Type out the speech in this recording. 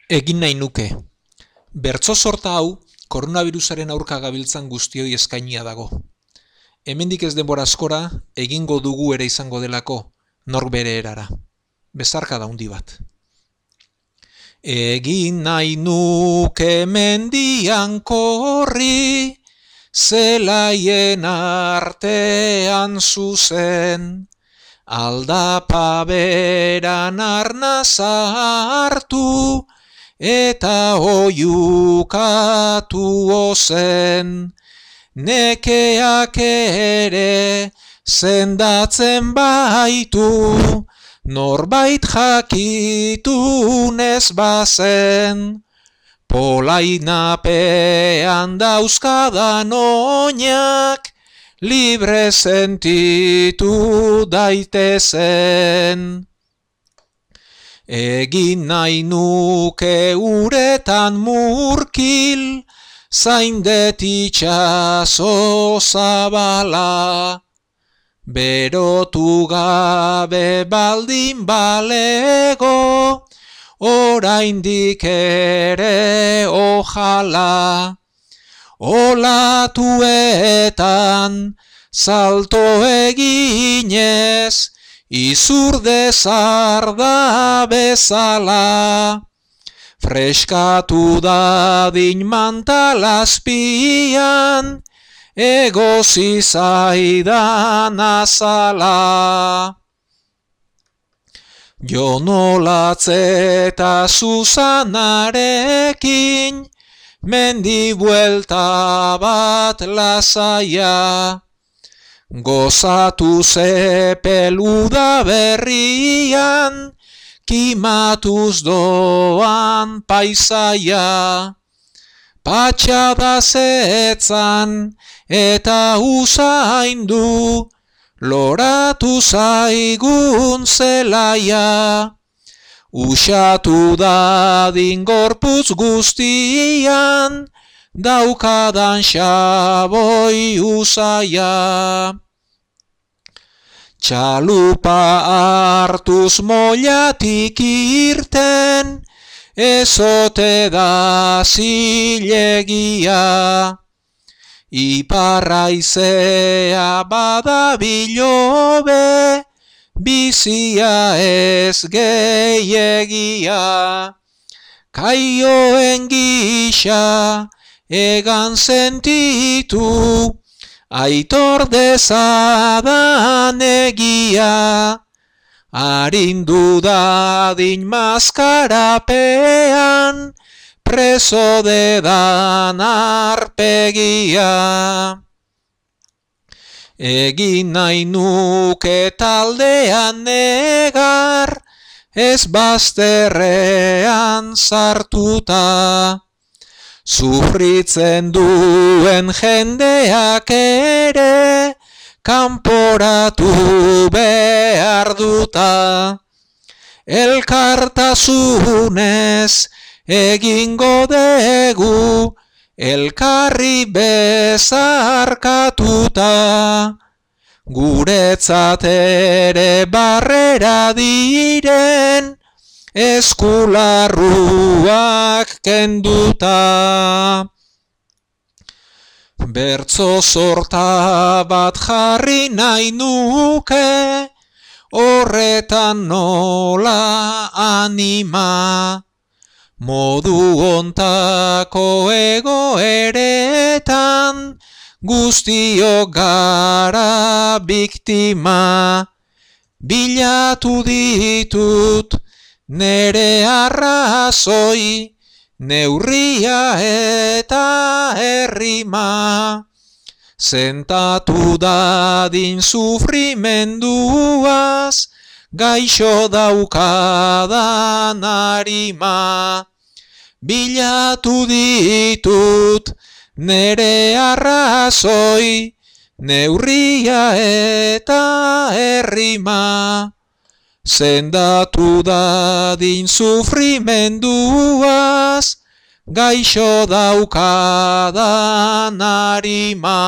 Egin nahi nuke. Bertso sorta hau koronavirusaren aurka gabiltzan guztioi eskainia dago. Hemendik ez denbora askora egingo dugu ere izango delako, nor bere erara. Bezarka da handi bat. Egin nahi nuke mendian korri, zelaien artean zuzen, aldapa beran arnaza hartu, eta oiukatu ozen, nekeak ere sendatzen baitu, norbait jakitunez bazen, polainapean dauzkadan oinak, libre sentitu daitezen. Egin nahi nuke uretan murkil, zaindet itxaso zabala, berotu gabe baldin balego, oraindik ere ojala, olatuetan salto eginez, izurde zarda bezala, freskatu dadin mantalazpian, egozi zaidan azala. Jonolatz eta Susanarekin, mendi buelta bat lasaia, gozatu zepeluda berrian, kimatuz doan paisaia, patxada zetzan eta usaindu, loratu zaigun zelaia, usatu dadin gorputz guztian, daukadan xaboi usaia. Txalupa hartuz mollatik irten, ezote da zilegia, iparraizea badabilobe, bizia ez geiegia, kaioen gisa egan sentitu, aitor dezadan egia, arindu dadin maskarapean, preso dedan arpegia. Egin nahi nuke taldean negar, ez bazterrean sartuta, sufritzen duen jendeak ere, kanporatu behar duta, elkartasunez egingo degu, elkarri bezarkatuta, guretzat ere barrera diren, eskularruak kenduta. Bertso sorta bat jarri nahi nuke, horretan nola anima, modu ontako egoeretan, guztiok gara biktima, bilatu ditut nere arrazoi, neurria eta errima, sentatu dadin sufrimenduaz, gaixo daukadan arima, bilatu ditut nere arrazoi, neurria eta errima, sendatu dadin sufrimenduaz, gaixo daukadan arima.